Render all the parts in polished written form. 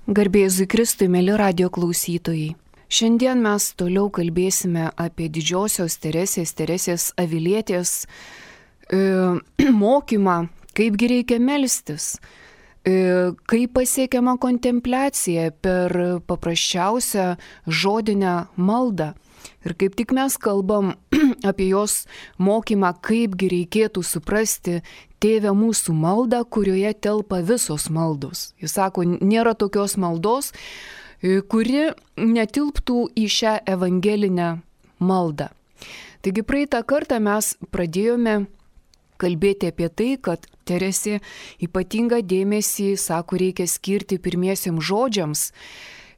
Garbė Jėzui Kristui, mėly radijo klausytojai. Šiandien mes toliau kalbėsime apie didžiosios Teresės Avilietės mokymą, kaipgi reikia melstis, kaip pasiekiama kontempliacija per paprasčiausią žodinę maldą. Ir kaip tik mes kalbam apie jos mokymą, kaipgi reikėtų suprasti Tėve mūsų maldą, kurioje telpa visos maldos. Jis sako, nėra tokios maldos, kuri netilptų į šią evangelinę maldą. Taigi praeitą kartą mes pradėjome kalbėti apie tai, kad Teresė ypatingą dėmesį, sako, reikia skirti pirmiesiems žodžiams.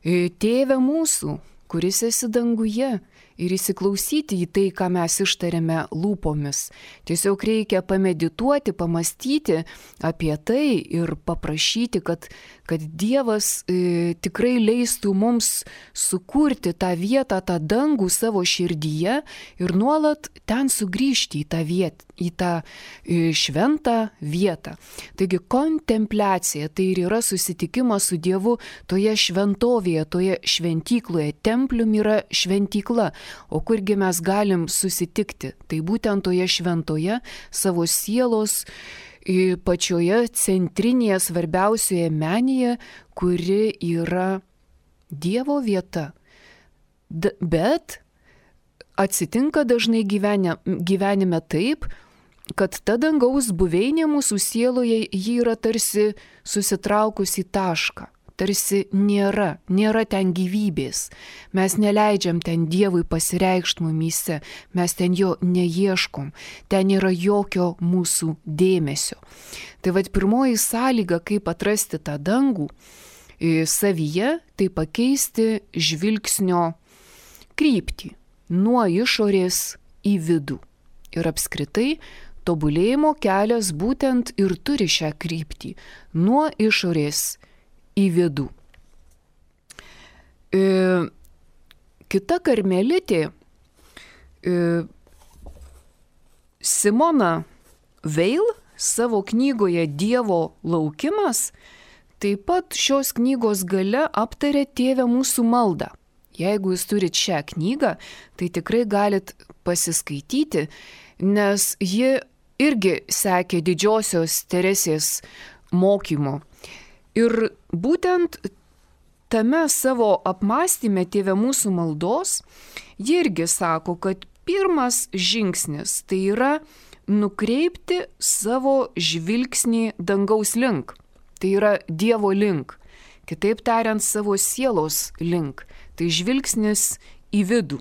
Tėve mūsų, kuris esi danguje, ir įsiklausyti į tai, ką mes ištariame lūpomis. Tiesiog reikia pamedituoti, pamastyti apie tai ir paprašyti, kad Dievas tikrai leistų mums sukurti tą vietą, tą dangų savo širdyje ir nuolat ten sugrįžti į tą šventą vietą. Taigi kontempliacija tai ir yra susitikimas su Dievu toje šventovėje, toje šventykloje. Templium yra šventykla. O kurgi mes galim susitikti? Tai būtent toje šventoje savo sielos pačioje centrinėje svarbiausioje menėje, kuri yra Dievo vieta. Bet atsitinka dažnai gyvenime taip, kad ta dangaus buveinė mūsų sieloje ji yra tarsi susitraukusi į tašką. Tarsi nėra ten gyvybės. Mes neleidžiam ten Dievui pasireikšti mumyse, mes ten jo neieškom, ten nėra jokio mūsų dėmesio. Tai vad pirmoji sąlyga, kaip atrasti tą dangų savyje, tai pakeisti žvilgsnio kryptį nuo išorės į vidų. Ir apskritai tobulėjimo kelias būtent ir turi šią kryptį nuo išorės į vidų. Kita karmelitė, Simona Veil, savo knygoje Dievo laukimas, taip pat šios knygos gale aptarė Tėve mūsų maldą. Jeigu jūs turit šią knygą, tai tikrai galit pasiskaityti, nes ji irgi sekė didžiosios Teresės mokymo. Ir būtent tame savo apmąstyme Tėve mūsų maldos, ji irgi sako, kad pirmas žingsnis tai yra nukreipti savo žvilgsnį dangaus link. Tai yra Dievo link. Kitaip tariant, savo sielos link. Tai žvilgsnis į vidų.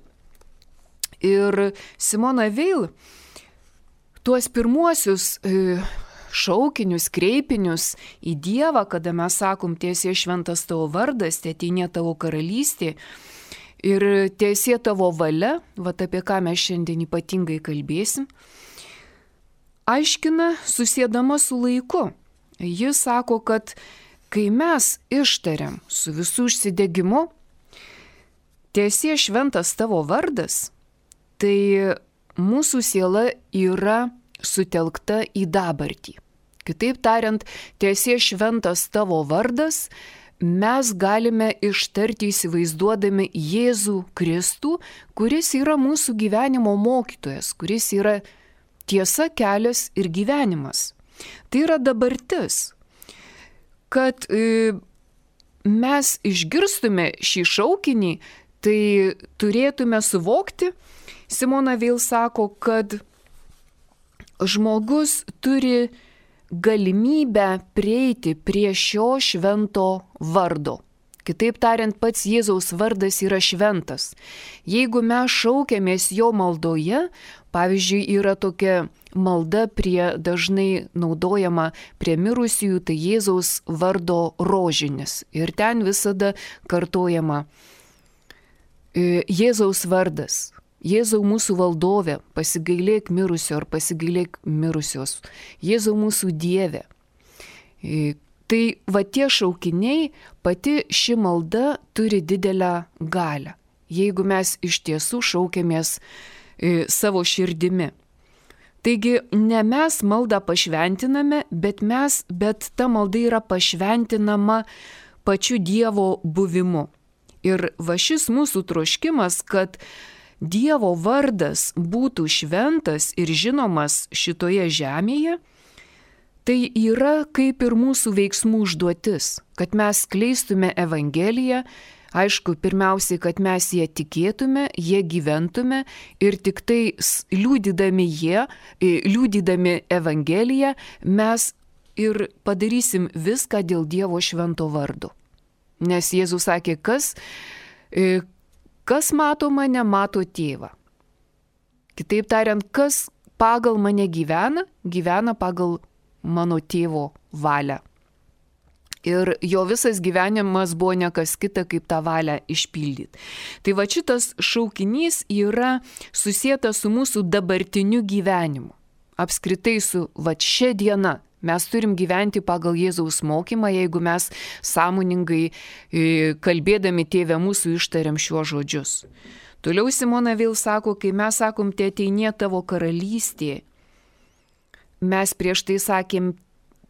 Ir Simona Veil tuos pirmuosius šaukinius, kreipinius į Dievą, kada mes sakom, tiesie šventas tavo vardas, teateinie tavo karalystė ir tiesie tavo valia, vat apie ką mes šiandien ypatingai kalbėsim, aiškina susiedama su laiku. Jis sako, kad kai mes ištariam su visų užsidegimu, tiesie šventas tavo vardas, tai mūsų siela yra sutelkta į dabartį. Kitaip tariant, tiesie šventas tavo vardas, mes galime ištarti įsivaizduodami Jėzų Kristų, kuris yra mūsų gyvenimo mokytojas, kuris yra tiesa, kelias ir gyvenimas. Tai yra dabartis. Kad mes išgirstume šį šaukinį, tai turėtume suvokti, Simona Veil sako, kad žmogus turi galimybę prieiti prie šio švento vardo. Kitaip tariant, pats Jėzaus vardas yra šventas. Jeigu mes šaukiamės jo maldoje, pavyzdžiui, yra tokia malda dažnai naudojama prie mirusiųjų, tai Jėzaus vardo rožinis. Ir ten visada kartojama Jėzaus vardas. Jėzau mūsų valdove, pasigailėk mirusio ar pasigailėk mirusios. Jėzau mūsų Dieve. Tai va tie šaukiniai, pati ši malda turi didelę galią, jeigu mes iš tiesų šaukiamės savo širdimi. Taigi ne mes maldą pašventiname, bet ta malda yra pašventinama pačiu Dievo buvimu. Ir va šis mūsų troškimas, kad Dievo vardas būtų šventas ir žinomas šitoje žemėje, tai yra kaip ir mūsų veiksmų užduotis, kad mes skleistume Evangeliją, aišku, pirmiausiai, kad mes ją tikėtume, jie gyventume ir tik tai liudydami Evangeliją mes ir padarysim viską dėl Dievo švento vardo. Nes Jėzus sakė, kas mato mane, mato tėvą. Kitaip tariant, kas pagal mane gyvena, gyvena pagal mano tėvo valią. Ir jo visas gyvenimas buvo ne kas kita, kaip tą valią išpildyti. Tai va šitas šaukinys yra susietas su mūsų dabartiniu gyvenimu. Apskritai su va šia diena. Mes turim gyventi pagal Jėzaus mokymą, jeigu mes sąmoningai kalbėdami Tėve mūsų ištariam šiuos žodžius. Toliau Simona vėl sako, kai mes sakom, te ateinie tavo karalystė, mes prieš tai sakėm,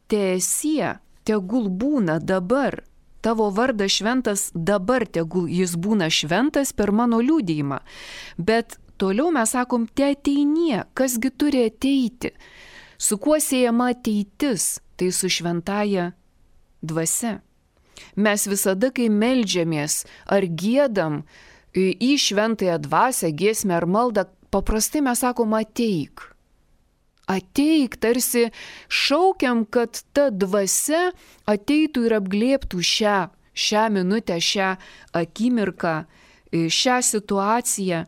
teesie, tegul būna dabar, tavo vardas šventas dabar, tegul jis būna šventas per mano liudijimą. Bet toliau mes sakom, te ateinie, kasgi turi ateiti. Su kuo siejama ateitis, tai su šventaja dvasia. Mes visada, kai meldžiamės ar giedam į šventąją dvasią, giesmę ar maldą, paprastai mes sakom ateik. Ateik, tarsi šaukiam, kad ta dvasia ateitų ir apglėbtų šią minutę, šią akimirką, šią situaciją.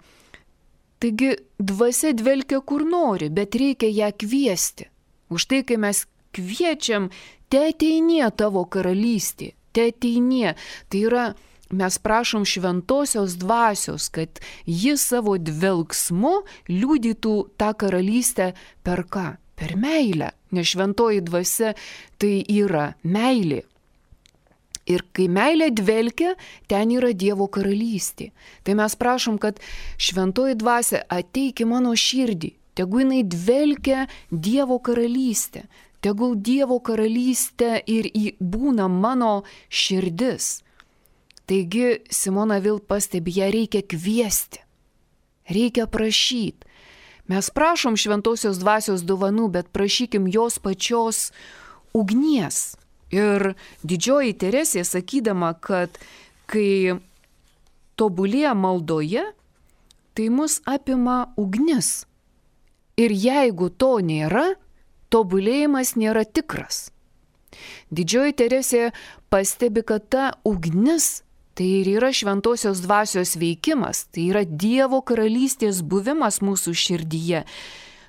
Taigi dvasia dvelkia kur nori, bet reikia ją kviesti. Už tai, kai mes kviečiam, te ateinie tavo karalystė, te ateinie. Tai yra, mes prašom šventosios dvasios, kad ji savo dvelksmu liudytų tą karalystę per ką? Per meilę. Nes šventoji dvasia tai yra meilė. Ir kai meilė dvelkia, ten yra Dievo karalystė. Tai mes prašom, kad šventoji dvasia ateik į mano širdį. Tegu jinai dvelkia Dievo karalystę. Tegul Dievo karalystė ir būna mano širdis. Taigi Simona vėl pastebi, ją reikia kviesti. Reikia prašyti. Mes prašom šventosios dvasios dovanų, bet prašykim jos pačios ugnies. Ir didžioji Teresė sakydama, kad kai tobulėja maldoje, tai mus apima ugnis. Ir jeigu to nėra, tobulėjimas nėra tikras. Didžioji Teresė pastebi, kad ta ugnis tai ir yra šventosios dvasios veikimas, tai yra Dievo karalystės buvimas mūsų širdyje.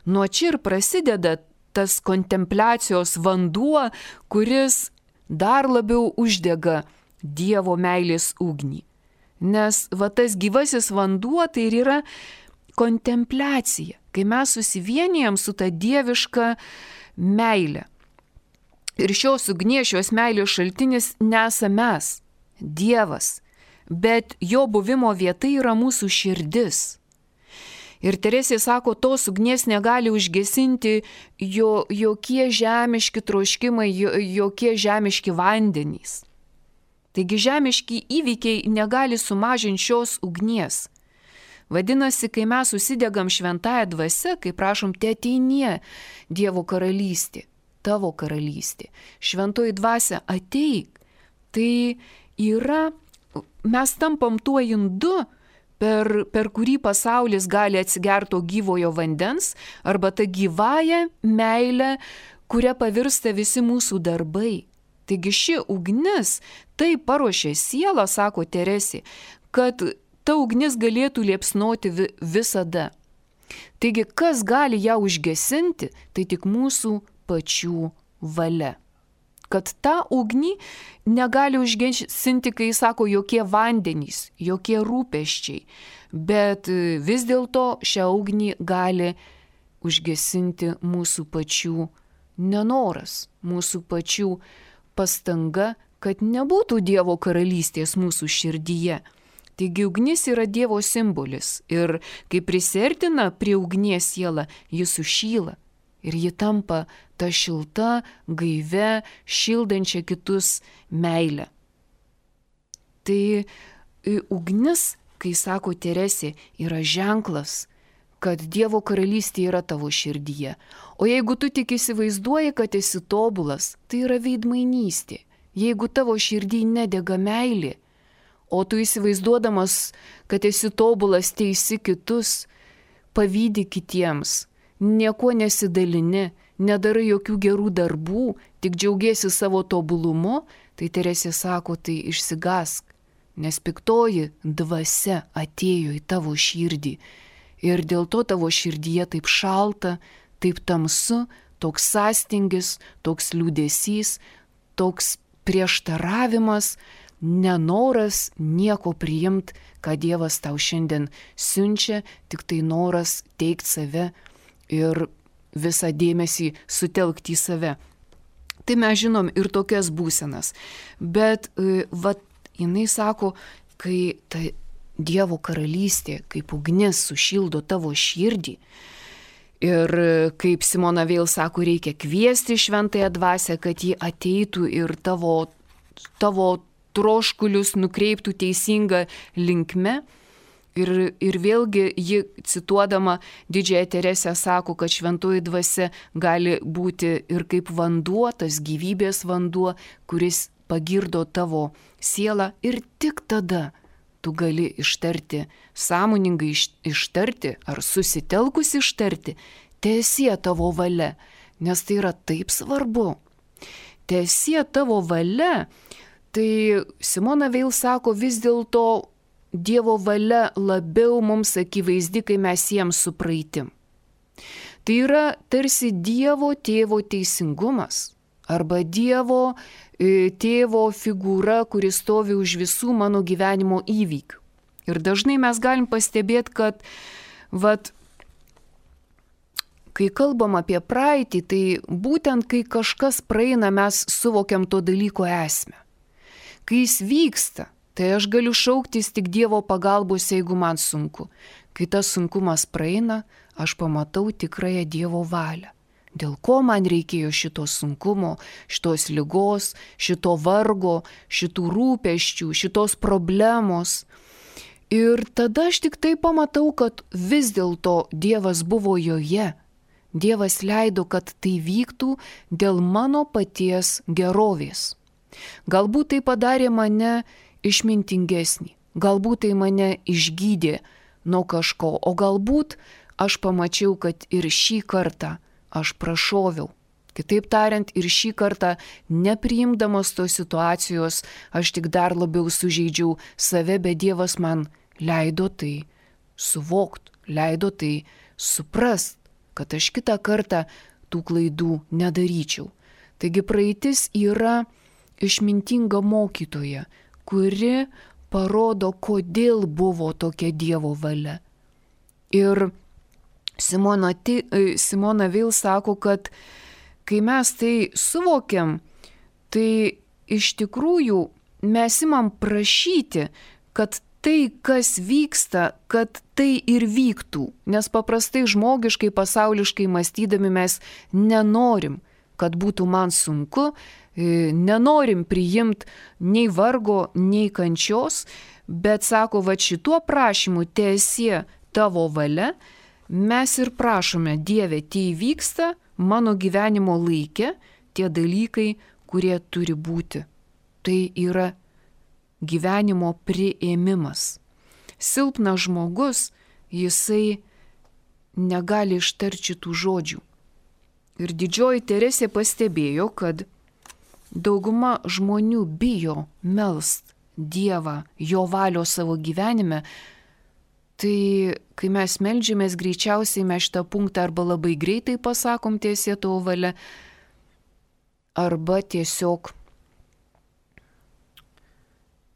Nuo čia ir prasideda tas kontempliacijos vanduo, kuris dar labiau uždega Dievo meilės ugnį. Nes va tas gyvasis vanduo tai ir yra kontempliacija, kai mes susivienijam su ta dieviška meilė. Ir šios ugnies, šios meilės šaltinis nesame mes, Dievas, bet jo buvimo vieta yra mūsų širdis. Ir Teresė sako, tos ugnies negali užgesinti jokie žemiški troškimai, jokie žemiški vandenys. Taigi žemiški įvykiai negali sumažinti šios ugnies. Vadinasi, kai mes susidegam šventąją dvasią, kai prašom, te ateinie Dievo karalystė, tavo karalystė, šventoji dvasia ateik, tai yra, mes tampam tuo indu, per kurį pasaulis gali atsigerto gyvojo vandens, arba ta gyvąją meilę, kuria pavirsta visi mūsų darbai. Taigi ši ugnis taip paruošė sielą, sako Teresė, kad ta ugnis galėtų liepsnoti visada. Taigi kas gali ją užgesinti, tai tik mūsų pačių valia. Kad tą ugnį negali užgesinti, kai sako, jokie vandenys, jokie rūpesčiai, bet vis dėlto šią ugnį gali užgesinti mūsų pačių nenoras, mūsų pačių pastanga, kad nebūtų Dievo karalystės mūsų širdyje. Taigi ugnis yra Dievo simbolis ir kai prisiartina prie ugnies siela, jis sušyla. Ir ji tampa ta šilta, gaivia, šildančia kitus meilę. Tai ugnis, kai sako Teresė, yra ženklas, kad Dievo karalystė yra tavo širdyje. O jeigu tu tik įsivaizduoji, kad esi tobulas, tai yra veidmainystė. Jeigu tavo širdį nedega meilė, o tu įsivaizduodamas, kad esi tobulas, teisi kitus, pavydi kitiems, nieko nesidalini, nedarai jokių gerų darbų, tik džiaugiesi savo tobulumu, tai Teresė sako, tai išsigask, nes piktoji dvasia atėjo į tavo širdį. Ir dėl to tavo širdyje taip šalta, taip tamsu, toks sąstingis, toks liūdesys, toks prieštaravimas, nenoras nieko priimti, ką Dievas tau šiandien siunčia, tik tai noras teikti save ir visą dėmesį sutelkti į save. Tai mes žinom ir tokias būsenas. Bet jinai sako, kai ta Dievo karalystė, kaip ugnis sušildo tavo širdį. Ir kaip Simona vėl sako, reikia kviesti šventąją dvasią, kad ji ateitų ir tavo troškulius nukreiptų teisinga linkme. Ir vėlgi ji, cituodama Didžiąją Teresę, sako, kad šventoji dvasia gali būti ir kaip vanduo, tas gyvybės vanduo, kuris pagirdo tavo sielą, ir tik tada tu gali ištarti, sąmoningai ištarti ar susitelkus ištarti, teesie tavo valia, nes tai yra taip svarbu. Teesie tavo valia, tai Simona Veil sako, vis dėlto Dievo valia labiau mums akivaizdi, kai mes jiems su praeitim. Tai yra tarsi Dievo tėvo teisingumas arba Dievo tėvo figūra, kuris stovi už visų mano gyvenimo įvykių. Ir dažnai mes galim pastebėti, kad kai kalbam apie praeitį, tai būtent kai kažkas praeina, mes suvokiam to dalyko esmę. Kai jis vyksta, tai aš galiu šauktis tik Dievo pagalbos, jeigu man sunku. Kai tas sunkumas praeina, aš pamatau tikrąją Dievo valią. Dėl ko man reikėjo šito sunkumo, šitos ligos, šito vargo, šitų rūpesčių, šitos problemos. Ir tada aš tik tai pamatau, kad vis dėlto Dievas buvo joje. Dievas leido, kad tai vyktų dėl mano paties gerovės. Galbūt tai padarė mane išmintingesnį, galbūt tai mane išgydė nuo kažko, o galbūt aš pamačiau, kad ir šį kartą aš prašoviau. Kitaip tariant, ir šį kartą, nepriimdamas tos situacijos, aš tik dar labiau sužeidžiau save, bet Dievas man leido tai suvokt, leido tai suprast, kad aš kitą kartą tų klaidų nedaryčiau. Taigi praeitis yra išmintinga mokytoja, kuri parodo, kodėl buvo tokia Dievo valia. Ir Simona Veil sako, kad kai mes tai suvokiam, tai iš tikrųjų mes imam prašyti, kad tai, kas vyksta, kad tai ir vyktų. Nes paprastai žmogiškai, pasauliškai mąstydami mes nenorim, kad būtų man sunku, nenorim priimti nei vargo, nei kančios, bet sako, šituo prašymu teesie tavo valia, mes ir prašome, Dieve, tai vyksta mano gyvenimo laike tie dalykai, kurie turi būti. Tai yra gyvenimo priėmimas. Silpnas žmogus, jisai negali ištarti tų žodžių. Ir Didžioji Teresė pastebėjo, kad dauguma žmonių bijo melst Dievą, jo valios savo gyvenime. Tai kai mes meldžiamės, greičiausiai mes šitą punktą arba labai greitai pasakom teesie tavo valia, arba tiesiog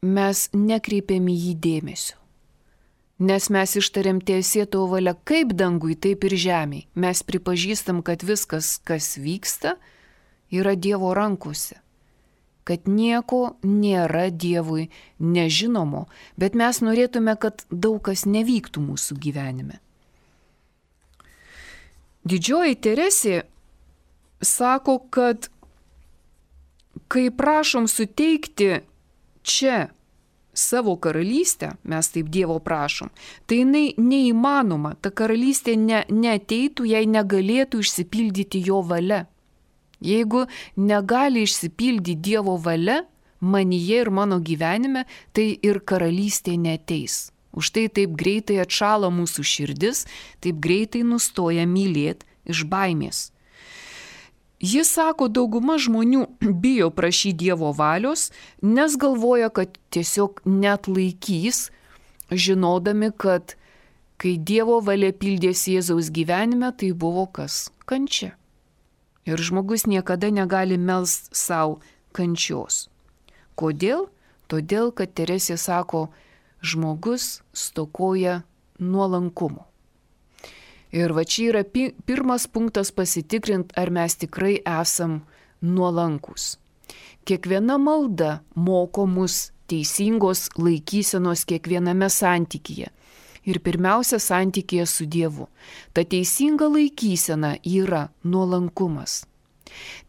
mes nekreipiam į jį dėmesio. Nes mes ištariam teesie tavo valia kaip dangui, taip ir žemėj. Mes pripažįstam, kad viskas, kas vyksta, yra Dievo rankose. Kad nieko nėra Dievui nežinomo, bet mes norėtume, kad daug kas nevyktų mūsų gyvenime. Didžioji Teresė sako, kad kai prašom suteikti čia savo karalystę, mes taip Dievo prašom, tai jinai neįmanoma, ta karalystė neateitų, jei negalėtų išsipildyti jo valia. Jeigu negali išsipildyti Dievo valia, manyje ir mano gyvenime, tai ir karalystė neateis. Už tai taip greitai atšala mūsų širdis, taip greitai nustoja mylėti iš baimės. Jis sako, dauguma žmonių bijo prašyti Dievo valios, nes galvoja, kad tiesiog net laikys, žinodami, kad kai Dievo valia pildėsi Jėzaus gyvenime, tai buvo kas? Kančia. Ir žmogus niekada negali melst savo kančios. Kodėl? Todėl, kad Teresė sako, žmogus stokoja nuolankumo. Ir va čia yra pirmas punktas pasitikrinti, ar mes tikrai esam nuolankus. Kiekviena malda moko mus teisingos laikysenos kiekviename santykyje. Ir pirmiausia santykyje su Dievu. Ta teisinga laikysena yra nuolankumas.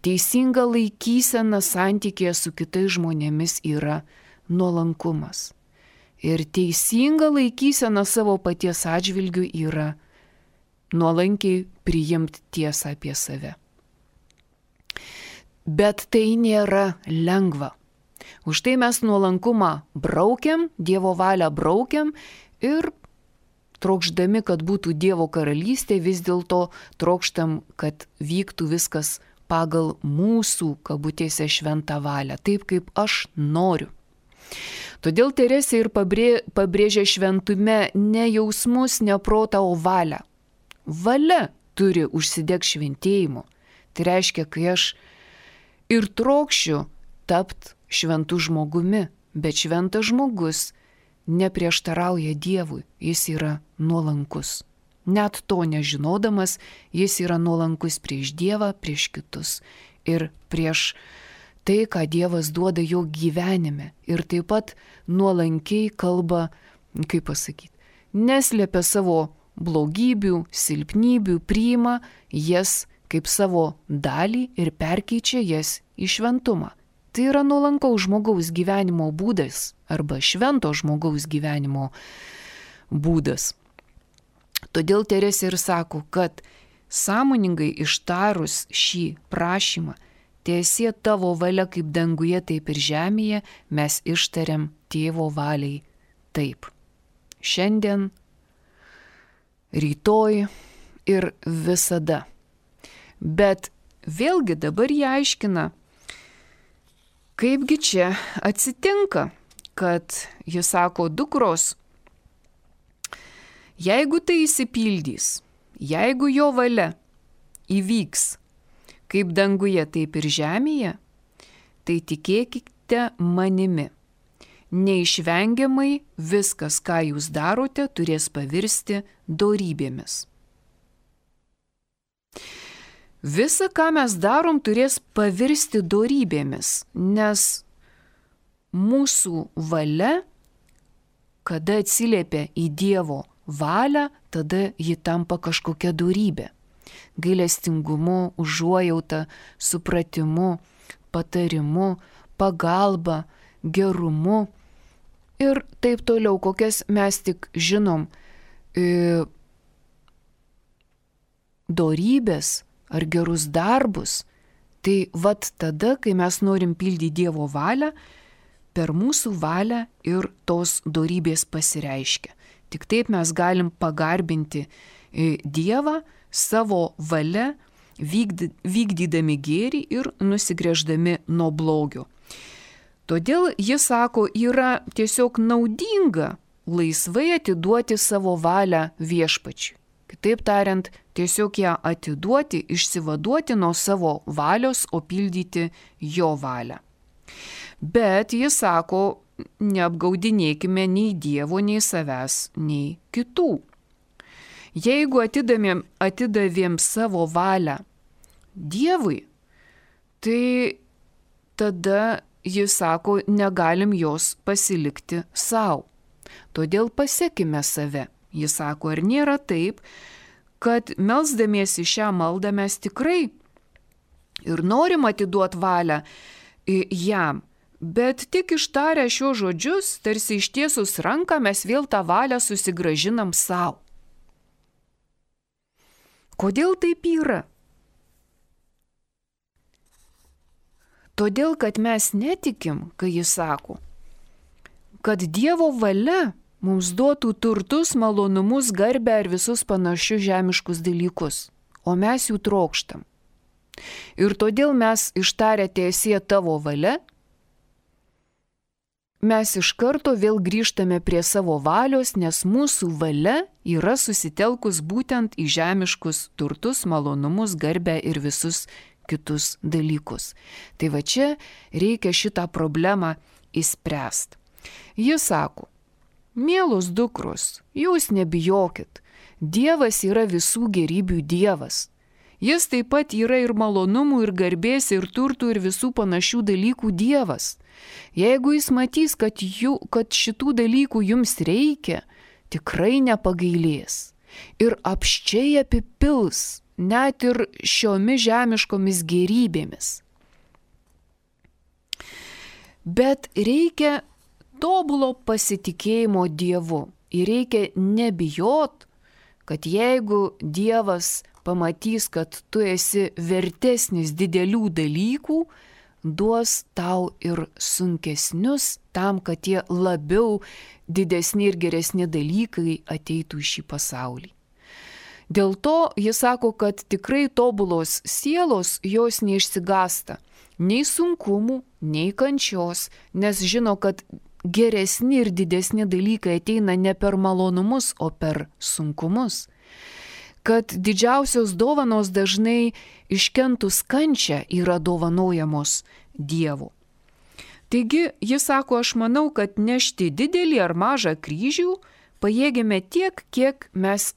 Teisinga laikysena santykyje su kitais žmonėmis yra nuolankumas. Ir teisinga laikysena savo paties atžvilgiu yra nuolankiai priimti tiesą apie save. Bet tai nėra lengva. Už tai mes nuolankumą braukiam, Dievo valią braukiam ir trokšdami, kad būtų Dievo karalystė, vis dėlto trokštam, kad vyktų viskas pagal mūsų, kabutėse, šventą valią, taip kaip aš noriu. Todėl Teresė ir pabrėžia šventume ne jausmus, ne protą, o valią. Valia turi užsidegti šventėjimu. Tai reiškia, kai aš ir trokšiu tapti šventu žmogumi, bet šventas žmogus neprieštarauja Dievui, jis yra nuolankus. Net to nežinodamas, jis yra nuolankus prieš Dievą, prieš kitus ir prieš tai, ką Dievas duoda jo gyvenime. Ir taip pat nuolankiai kalba, kaip pasakyti, neslėpia savo blogybių, silpnybių, priima jas kaip savo dalį ir perkeičia jas į šventumą. Tai yra nuolankaus žmogaus gyvenimo būdas arba švento žmogaus gyvenimo būdas. Todėl Teresė ir sako, kad sąmoningai ištarus šį prašymą, tiesie tavo valia kaip danguje, taip ir žemėje, mes ištariam Tėvo valiai taip. Šiandien, rytoj ir visada. Bet vėlgi dabar jie aiškina, kaipgi čia atsitinka, kad jis sako, dukros, jeigu tai išsipildys, jeigu jo valia įvyks kaip danguje, taip ir žemėje, tai tikėkite manimi. Neišvengiamai viskas, ką jūs darote, turės pavirsti dorybėmis. Visa, ką mes darom, turės pavirsti dorybėmis, nes mūsų valia, kada atsiliepia į Dievo valią, tada ji tampa kažkokia dorybė. Gailestingumu, užuojauta, supratimu, patarimu, pagalba, gerumu ir taip toliau, kokias mes tik žinom, dorybės ar gerus darbus, tai vat tada, kai mes norim pildyti Dievo valią, per mūsų valią ir tos dorybės pasireiškia. Tik taip mes galim pagarbinti Dievą savo valia, vykdydami gėrį ir nusigręždami nuo blogio. Todėl jis sako, yra tiesiog naudinga laisvai atiduoti savo valią Viešpačiui. Kitaip tariant, tiesiog ją atiduoti, išsivaduoti nuo savo valios, o pildyti jo valią. Bet jis sako, neapgaudinėkime nei Dievo, nei savęs, nei kitų. Jeigu atidavėm savo valią Dievui, tai tada jis sako, negalim jos pasilikti savo. Todėl pasekime save. Jis sako, ar nėra taip, kad melsdamiesi šią maldą mes tikrai ir norim atiduoti valią jam, Bet tik ištarę šios žodžius, tarsi ištiesus ranką, mes vėl tą valią susigrąžinam savo. Kodėl taip yra? Todėl, kad mes netikim, kai jis sako, kad Dievo valia mums duotų turtus, malonumus, garbę ar visus panašius žemiškus dalykus, o mes jų trokštam. Ir todėl mes ištarę tiesie tavo valia, mes iš karto vėl grįžtame prie savo valios, nes mūsų valia yra susitelkus būtent į žemiškus turtus, malonumus, garbę ir visus kitus dalykus. Tai va čia reikia šitą problemą išspręsti. Jis sako, mielos dukros, jūs nebijokit, Dievas yra visų gerybių Dievas. Jis taip pat yra ir malonumų, ir garbės, ir turtų, ir visų panašių dalykų Dievas. Jeigu jis matys, kad šitų dalykų jums reikia, tikrai nepagailės. Ir apsčiai apipils, net ir šiomis žemiškomis gerybėmis. Bet reikia tobulo pasitikėjimo Dievu. Ir reikia nebijot, kad jeigu Dievas pamatys, kad tu esi vertesnis didelių dalykų, duos tau ir sunkesnius tam, kad tie labiau didesni ir geresni dalykai ateitų į šį pasaulį. Dėl to jis sako, kad tikrai tobulos sielos jos neišsigąsta nei sunkumų, nei kančios, nes žino, kad geresni ir didesni dalykai ateina ne per malonumus, o per sunkumus. Kad didžiausios dovanos dažnai iškentus kančią yra dovanojamos Dievu. Taigi, jis sako, aš manau, kad nešti didelį ar mažą kryžių pajėgėme tiek, kiek mes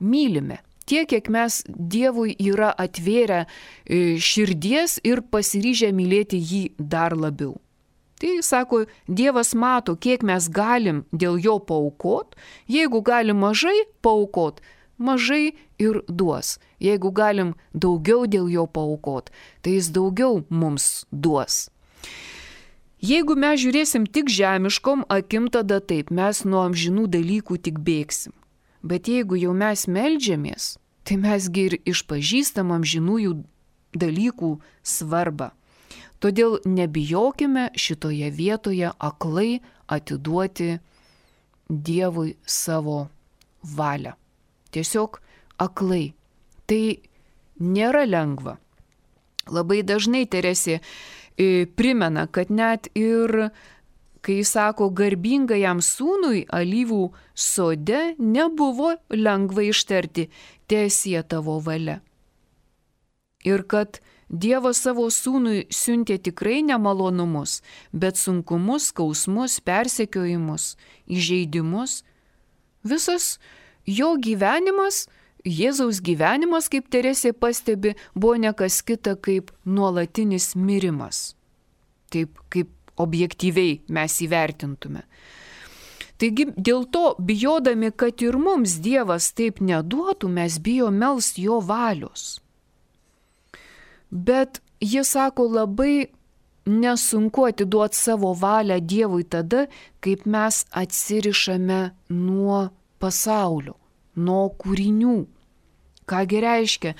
mylime, tiek, kiek mes Dievui yra atvėrę širdies ir pasiryžę mylėti jį dar labiau. Tai, sako, Dievas mato, kiek mes galim dėl jo paaukot, jeigu galim mažai paaukot, mažai ir duos. Jeigu galim daugiau dėl jo paaukot, tai jis daugiau mums duos. Jeigu mes žiūrėsim tik žemiškom akim, tada taip, mes nuo amžinų dalykų tik bėgsim. Bet jeigu jau mes meldžiamės, tai mesgi ir išpažįstam amžinųjų dalykų svarbą. Todėl nebijokime šitoje vietoje aklai atiduoti Dievui savo valią. Tiesiog aklai. Tai nėra lengva. Labai dažnai Teresė primena, kad net ir, kai sako, garbingajam sūnui alyvų sode nebuvo lengva ištarti tiesie tavo valia. Ir kad Dievas savo sūnui siuntė tikrai nemalonumus, bet sunkumus, skausmus, persekiojimus, įžeidimus. Visas jo gyvenimas, Jėzaus gyvenimas, kaip Teresė pastebi, buvo ne kas kita kaip nuolatinis mirimas. Taip kaip objektyviai mes įvertintume. Taigi dėl to, bijodami, kad ir mums Dievas taip neduotų, mes bijom melst jo valios. Bet jis sako, labai nesunku atiduoti savo valią Dievui tada, kaip mes atsirišame nuo pasaulio, nuo kūrinių. Kągi reiškia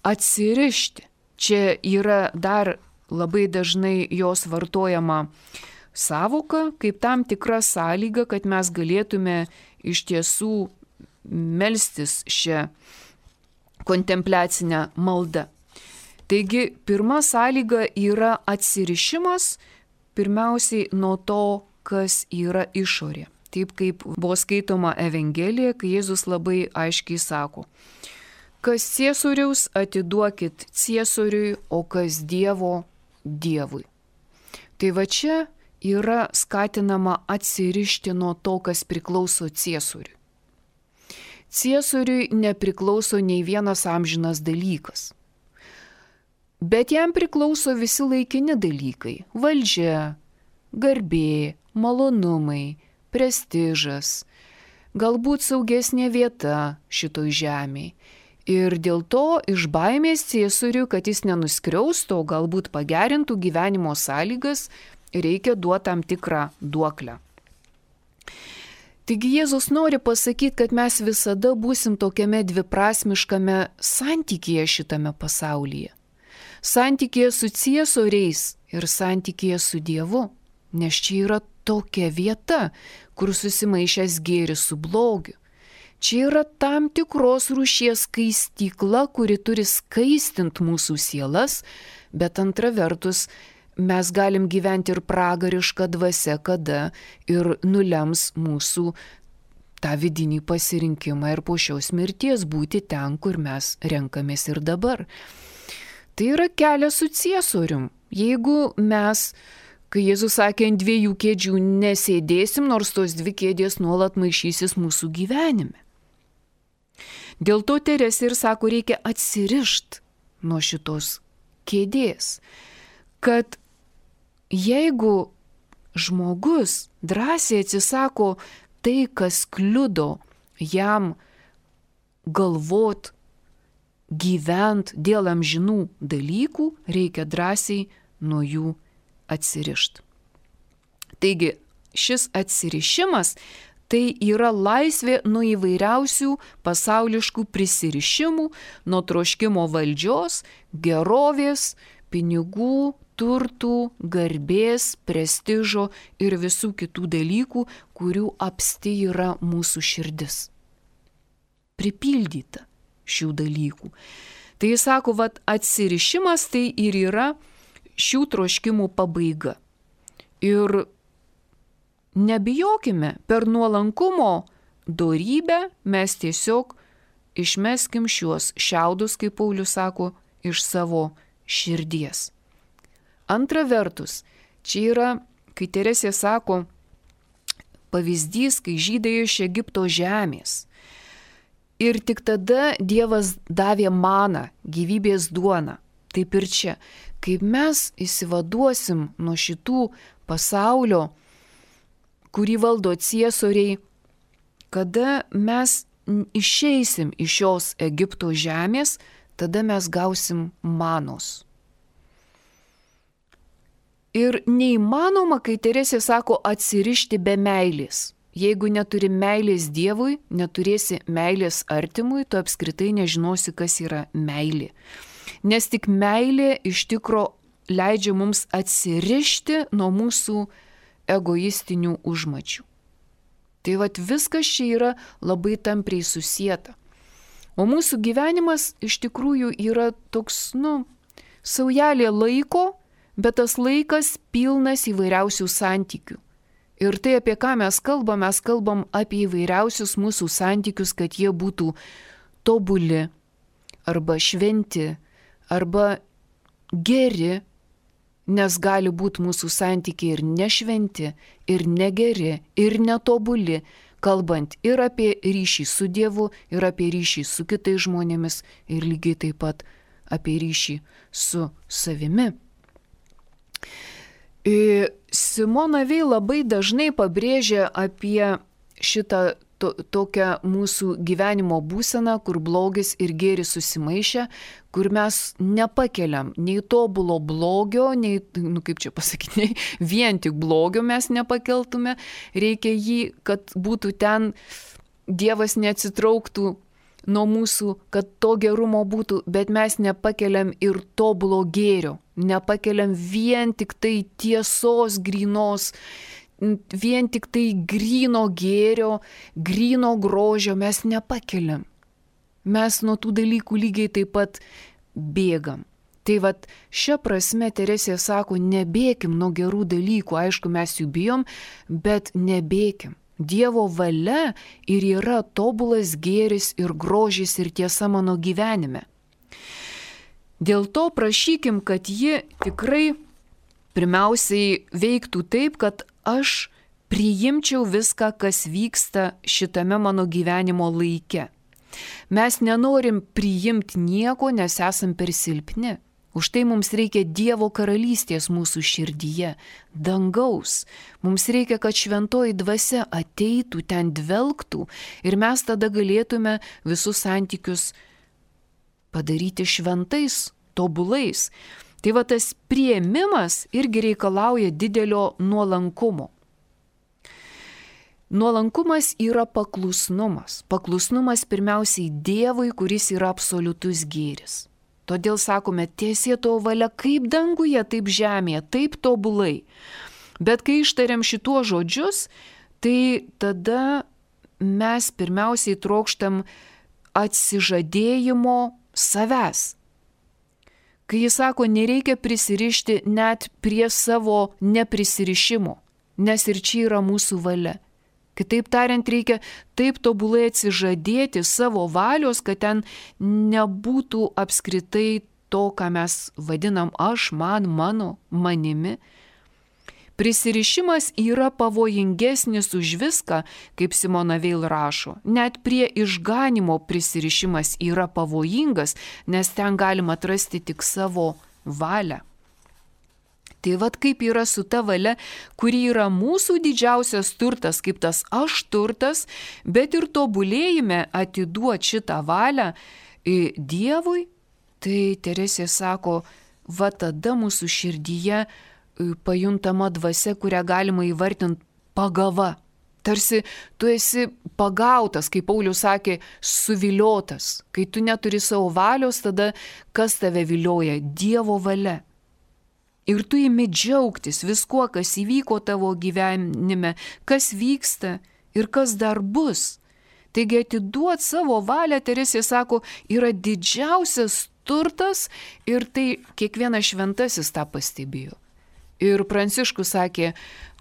atsirišti? Čia yra dar labai dažnai jos vartojama sąvoka, kaip tam tikra sąlyga, kad mes galėtume iš tiesų melstis šią kontempliacinę maldą. Taigi, pirma sąlyga yra atsirišimas pirmiausiai nuo to, kas yra išorė. Taip kaip buvo skaitoma Evangelija, kai Jėzus labai aiškiai sako, kas ciesoriaus atiduokit ciesoriui, o kas Dievo Dievui. Tai va čia yra skatinama atsirišti nuo to, kas priklauso ciesoriui. Ciesoriui nepriklauso nei vienas amžinas dalykas. Bet jam priklauso visi laikini dalykai – valdžia, garbė, malonumai, prestižas, galbūt saugesnė vieta šitoj žemėje. Ir dėl to iš baimės ciesoriui, kad jis nenuskriaustų, galbūt pagerintų gyvenimo sąlygas, reikia duoti tam tikrą duoklę. Taigi Jėzus nori pasakyti, kad mes visada būsim tokiame dviprasmiškame santykėje šitame pasaulyje. Santykėje su ciesoriais ir santykėje su Dievu, nes čia yra tokia vieta, kur susimaišęs gėris su blogiu. Čia yra tam tikros rūšies skaistykla, kuri turi skaistinti mūsų sielas, bet antra vertus, mes galim gyventi ir pragarišką dvasią, kada ir nulems mūsų tą vidinį pasirinkimą ir po šios mirties būti ten, kur mes renkamės ir dabar. Tai yra kelias su ciesorium. Jeigu mes, kai Jėzus sakė, ant 2 kėdžių nesėdėsim, nors tos 2 kėdės nuolat maišysis mūsų gyvenime. Dėl to Teresė ir sako, reikia atsirišti nuo šitos kėdės, kad jeigu žmogus drąsiai atsisako tai, kas kliudo jam galvot, gyvent dėl amžinų dalykų, reikia drąsiai nuo jų atsirišti. Taigi, šis atsirišimas tai yra laisvė nuo įvairiausių pasauliškų prisirišimų, nuo troškimo valdžios, gerovės, pinigų, turtų, garbės, prestižo ir visų kitų dalykų, kurių apsti yra mūsų širdis. Pripildyta šių dalykų. Tai jis sako, atsirišimas tai ir yra šių troškimų pabaiga. Ir nebijokime, per nuolankumo dorybę mes tiesiog išmeskim šiuos šiaudus, kaip Paulius sako, iš savo širdies. Antra vertus, čia yra, kai Teresė sako, pavyzdys, kai žydai iš Egipto žemės. Ir tik tada Dievas davė maną, gyvybės duoną. Taip ir čia, kaip mes išsivaduosim nuo šitų pasaulio, kurį valdo ciesoriai, kada mes išeisim iš šios Egipto žemės, tada mes gausim manos. Ir neįmanoma, kai Teresė sako, atsirišti be meilės. Jeigu neturi meilės Dievui, neturėsi meilės artimui, tu apskritai nežinosi, kas yra meilė. Nes tik meilė iš tikro leidžia mums atsirišti nuo mūsų egoistinių užmačių. Tai viskas čia yra labai tampriai susieta. O mūsų gyvenimas iš tikrųjų yra toks, saujelė laiko, bet tas laikas pilnas įvairiausių santykių. Ir tai, apie ką mes kalbam apie įvairiausius mūsų santykius, kad jie būtų tobuli, arba šventi, arba geri, nes gali būti mūsų santykiai ir nešventi, ir negeri, ir netobuli, kalbant ir apie ryšį su Dievu, ir apie ryšį su kitais žmonėmis, ir lygiai taip pat apie ryšį su savimi. Simona Veil labai dažnai pabrėžia apie šitą tokią mūsų gyvenimo būseną, kur blogis ir gėris susimaišę, kur mes nepakeliam nei tobulo blogio, nei, nei vien tik blogio mes nepakeltume, reikia jį, kad būtų ten, Dievas neatsitrauktų nuo mūsų, kad to gerumo būtų, bet mes nepakeliam ir tobulo gėrio, nepakeliam vien tik tai tiesos grynos, vien tik tai gryno gėrio, gryno grožio mes nepakeliam. Mes nuo tų dalykų lygiai taip pat bėgam. Tai šia prasme Teresė sako, nebėkim nuo gerų dalykų, aišku, mes jų bijom, bet nebėkim. Dievo valia ir yra tobulas gėris ir grožis ir tiesa mano gyvenime. Dėl to prašykim, kad ji tikrai pirmiausiai veiktų taip, kad aš priimčiau viską, kas vyksta šitame mano gyvenimo laike. Mes nenorim priimti nieko, nes esam per silpni. Už tai mums reikia Dievo karalystės mūsų širdyje, dangaus. Mums reikia, kad šventoji dvasia ateitų, ten dvelktų ir mes tada galėtume visus santykius padaryti šventais, tobulais. Tai va tas priėmimas irgi reikalauja didelio nuolankumo. Nuolankumas yra paklusnumas. Paklusnumas pirmiausiai Dievui, kuris yra absoliutus gėris. Todėl sakome, tiesie tavo valia kaip danguje, taip žemėje, taip tobulai. Bet kai ištariam šituos žodžius, tai tada mes pirmiausiai trokštam atsižadėjimo savęs. Kai jis sako, nereikia prisirišti net prie savo neprisirišimo, nes ir čia yra mūsų valia. Kitaip tariant, reikia taip tobulai atsižadėti savo valios, kad ten nebūtų apskritai to, ką mes vadinam aš, man, mano, manimi. Prisirišimas yra pavojingesnis už viską, kaip Simona Veil rašo. Net prie išganimo prisirišimas yra pavojingas, nes ten galima atrasti tik savo valią. Tai vad kaip yra su ta valia, kuri yra mūsų didžiausias turtas, kaip tas aš turtas, bet ir tobulėjime atiduoti šitą valią Dievui, tai Teresė sako, va tada mūsų širdyje pajuntama dvasia, kurią galima įvardinti pagava. Tarsi tu esi pagautas, kaip Paulius sakė, suviliotas. Kai tu neturi savo valios, tada kas tave vilioja? Dievo valia. Ir tu imi džiaugtis viskuo, kas įvyko tavo gyvenime, kas vyksta ir kas dar bus. Taigi atiduot savo valią, Teresė sako, yra didžiausias turtas ir tai kiekvienas šventasis tą pastebėjo. Ir Pranciškus sakė,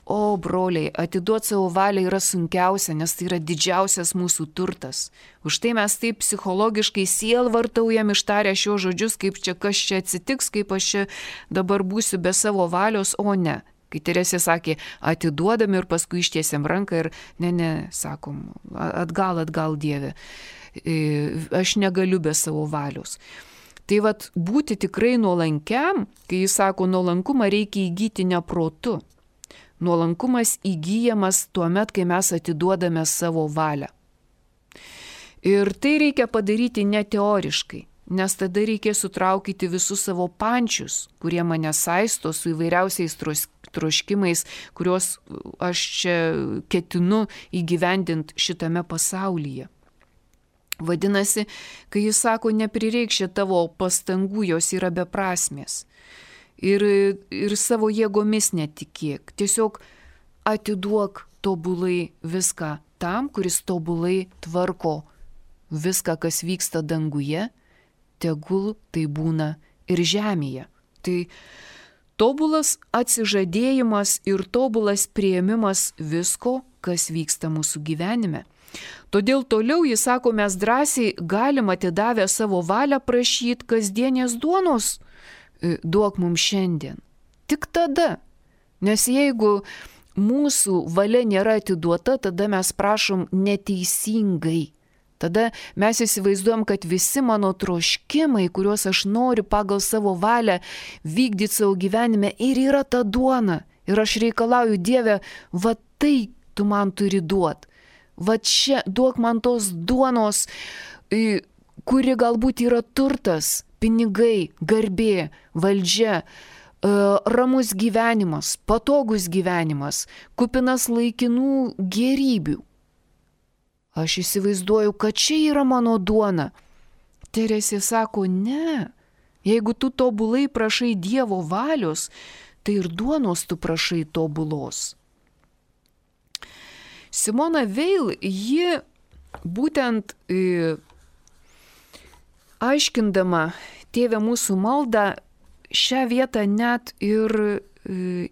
o broliai, atiduot savo valią yra sunkiausia, nes tai yra didžiausias mūsų turtas. Už tai mes taip psichologiškai sielvartaujam ištarę šios žodžius, kaip čia kas čia atsitiks, kaip aš čia dabar būsiu be savo valios, o ne. Kai Teresė sakė, atiduodam ir paskui ištiesiam ranką ir ne, sakom, atgal Dieve, aš negaliu be savo valios. Tai vat būti tikrai nuolankiam, kai jis sako, nuolankumą reikia įgyti ne protu. Nuolankumas įgyjamas tuo met, kai mes atiduodame savo valią. Ir tai reikia padaryti ne teoriškai, nes tada reikia sutraukyti visus savo pančius, kurie mane saisto su įvairiausiais troškimais, kuriuos aš čia ketinu įgyvendinti šitame pasaulyje. Vadinasi, kai jis sako, neprireikšia tavo pastangų, jos yra beprasmės. Ir savo jėgomis netikėk. Tiesiog atiduok tobulai viską tam, kuris tobulai tvarko viską, kas vyksta danguje, tegul tai būna ir žemėje. Tai tobulas atsižadėjimas ir tobulas priėmimas visko, kas vyksta mūsų gyvenime. Todėl toliau jis sako, mes drąsiai galim atidavę savo valią prašyti kasdienės duonos, duok mums šiandien. Tik tada. Nes jeigu mūsų valia nėra atiduota, tada mes prašom neteisingai. Tada mes įsivaizduojam, kad visi mano troškimai, kuriuos aš noriu pagal savo valią vykdyti savo gyvenime, ir yra ta duona. Ir aš reikalauju, Dieve, va tai tu man turi duoti. Va čia duok man tos duonos, kuri galbūt yra turtas, pinigai, garbė, valdžia, ramus gyvenimas, patogus gyvenimas, kupinas laikinų gėrybių. Aš įsivaizduoju, kad čia yra mano duona. Teresė sako, ne. Jeigu tu tobulai prašai Dievo valios, tai ir duonos tu prašai tobulos. Simona Veil, ji būtent aiškindama Tėve mūsų maldą, šią vietą net ir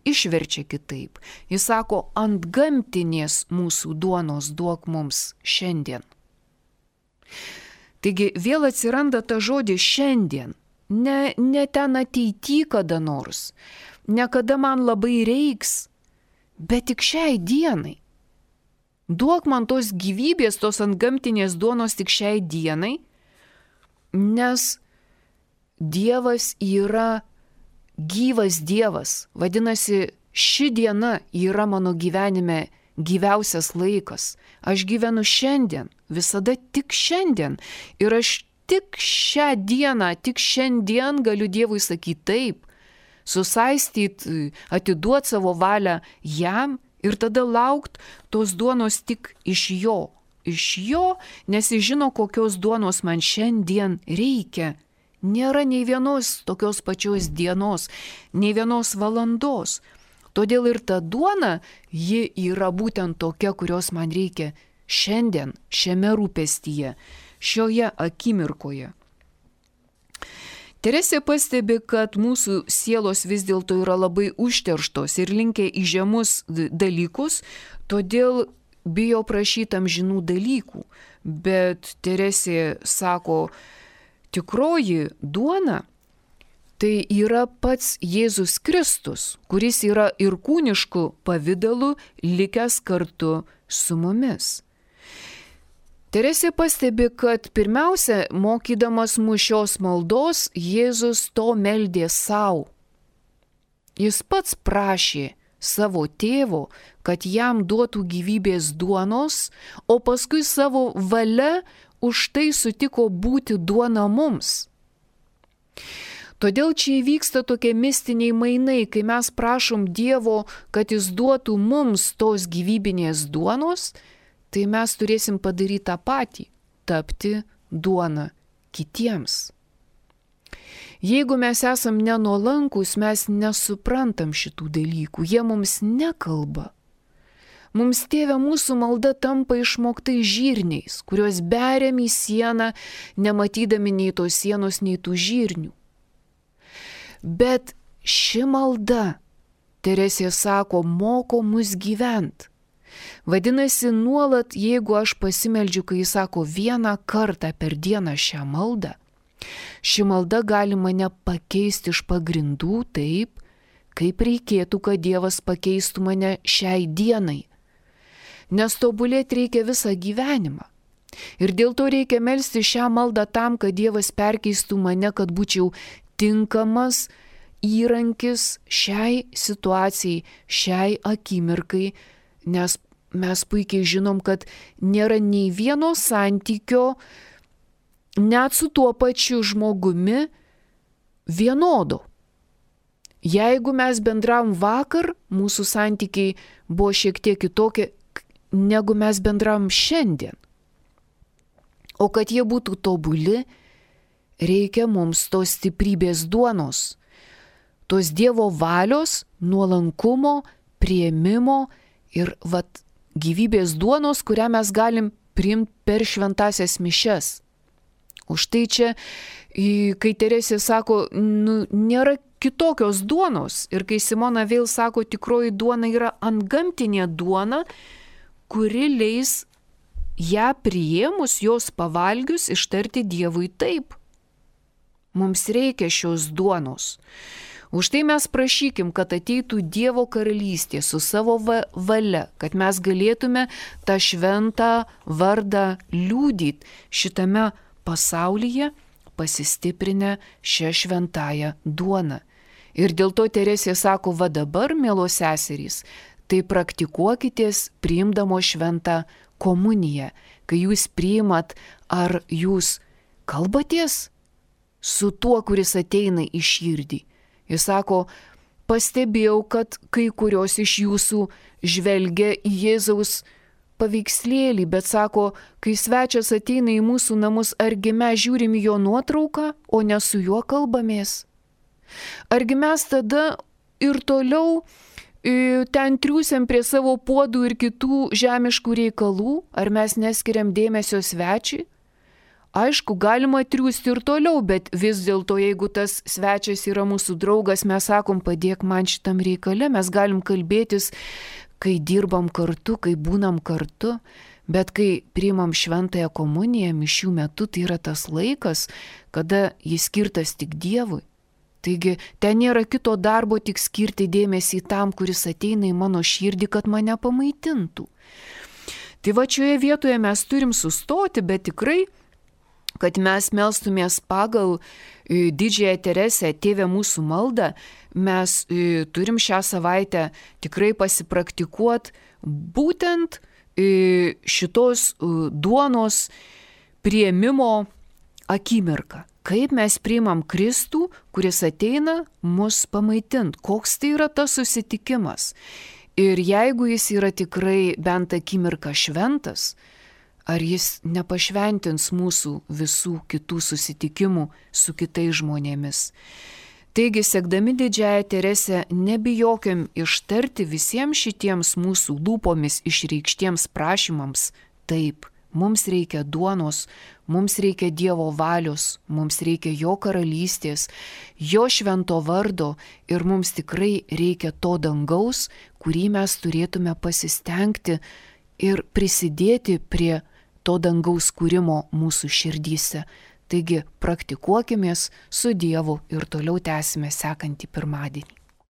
išverčia kitaip. Jis sako, antgamtinės mūsų duonos duok mums šiandien. Taigi vėl atsiranda ta žodis šiandien, ne ten ateity kada nors, ne kada man labai reiks, bet tik šiai dienai. Duok man tos gyvybės, tos antgamtinės duonos tik šiai dienai, nes Dievas yra gyvas Dievas. Vadinasi, ši diena yra mano gyvenime gyviausias laikas. Aš gyvenu šiandien, visada tik šiandien. Ir aš tik šią dieną, tik šiandien galiu Dievui sakyti taip. susaistyti, atiduoti savo valią jam ir tada laukti tos duonos tik iš jo. Iš jo, nes jis žino, kokios duonos man šiandien reikia. Nėra nei vienos tokios pačios dienos, nei vienos valandos. Todėl ir ta duona, ji yra būtent tokia, kurios man reikia šiandien, šiame rūpestyje, šioje akimirkoje. Teresė pastebi, kad mūsų sielos vis dėlto yra labai užterštos ir linkę į žemus dalykus, todėl bijo prašyti amžinų dalykų. Bet Teresė sako, tikroji duona tai yra pats Jėzus Kristus, kuris yra ir kūnišku pavidalu likęs kartu su mumis. Teresė pastebi, kad pirmiausia, mokydamas mus šios maldos, Jėzus to meldė savo. Jis pats prašė savo tėvo, kad jam duotų gyvybės duonos, o paskui savo valia už tai sutiko būti duona mums. Todėl čia įvyksta tokie mistiniai mainai, kai mes prašom Dievo, kad jis duotų mums tos gyvybinės duonos, tai mes turėsim padaryti tą patį – tapti duona kitiems. Jeigu mes esam nenuolankus, mes nesuprantam šitų dalykų, jie mums nekalba. Mums Tėve mūsų malda tampa išmoktais žirniais, kuriuos beriam į sieną, nematydami nei tos sienos, nei tų žirnių. Bet ši malda, Teresė sako, moko mus gyventi. Vadinasi, nuolat, jeigu aš pasimeldžiu, kai jis sako vieną kartą per dieną šią maldą, ši malda gali mane pakeisti iš pagrindų taip, kaip reikėtų, kad Dievas pakeistų mane šiai dienai. Nes tobulėti reikia visą gyvenimą. Ir dėl to reikia melsti šią maldą tam, kad Dievas perkeistų mane, kad būčiau tinkamas įrankis šiai situacijai, šiai akimirkai, nes mes puikiai žinom, kad nėra nei vieno santykio, net su tuo pačiu žmogumi, vienodo. Jeigu mes bendravom vakar, mūsų santykiai buvo šiek tiek kitokie, negu mes bendravom šiandien. O kad jie būtų tobuli, reikia mums tos stiprybės duonos, tos Dievo valios, nuolankumo, priėmimo ir gyvybės duonos, kurią mes galim priimti per šventasias mišias. Už tai čia, kai Teresė sako, nėra kitokios duonos, ir kai Simona vėl sako, tikroji duona yra antgamtinė duona, kuri leis ją priėmus, jos pavalgius, ištarti Dievui taip. Mums reikia šios duonos. Už tai mes prašykim, kad ateitų Dievo karalystė su savo valia, kad mes galėtume tą šventą vardą liudyti šitame pasaulyje, pasistiprinę šią šventąją duoną. Ir dėl to Teresė sako, va dabar, mielos seserys, tai praktikuokitės priimdamo šventą komuniją. Kai jūs priimat, ar jūs kalbatės su tuo, kuris ateina į širdį? Jis sako, pastebėjau, kad kai kurios iš jūsų žvelgia į Jėzaus paveikslėlį, bet sako, kai svečias ateina į mūsų namus, argi mes žiūrim jo nuotrauką, o ne su juo kalbamės? Argi mes tada ir toliau ten triūsiam prie savo puodų ir kitų žemiškų reikalų, ar mes neskiriam dėmesio svečiui? Aišku, galima triūsti ir toliau, bet vis dėlto, jeigu tas svečias yra mūsų draugas, mes sakom, padėk man šitam reikale, mes galim kalbėtis, kai dirbam kartu, kai būnam kartu, bet kai priimam šventąją komuniją mišių metu, tai yra tas laikas, kada jis skirtas tik Dievui. Taigi, ten nėra kito darbo, tik skirti dėmesį tam, kuris ateina į mano širdį, kad mane pamaitintų. Tai va šioje vietoje mes turim sustoti, bet tikrai, kad mes melstumės pagal didžiąją Teresę, Tėve mūsų maldą, mes turim šią savaitę tikrai pasipraktikuoti būtent šitos duonos priėmimo akimirką. Kaip mes priimam Kristų, kuris ateina mus pamaitint. Koks tai yra tas susitikimas. Ir jeigu jis yra tikrai bent akimirką šventas, ar jis nepašventins mūsų visų kitų susitikimų su kitais žmonėmis. Taigi, sekdami Didžiąją Teresę, nebijokim ištarti visiems šitiems mūsų lūpomis išreikštiems prašymams taip. Mums reikia duonos, mums reikia Dievo valios, mums reikia Jo karalystės, Jo švento vardo ir mums tikrai reikia to dangaus, kurį mes turėtume pasistengti ir prisidėti prie to dangaus kūrimo mūsų širdyse. Taigi praktikuokimės su Dievu ir toliau tęsime sekantį pirmadienį.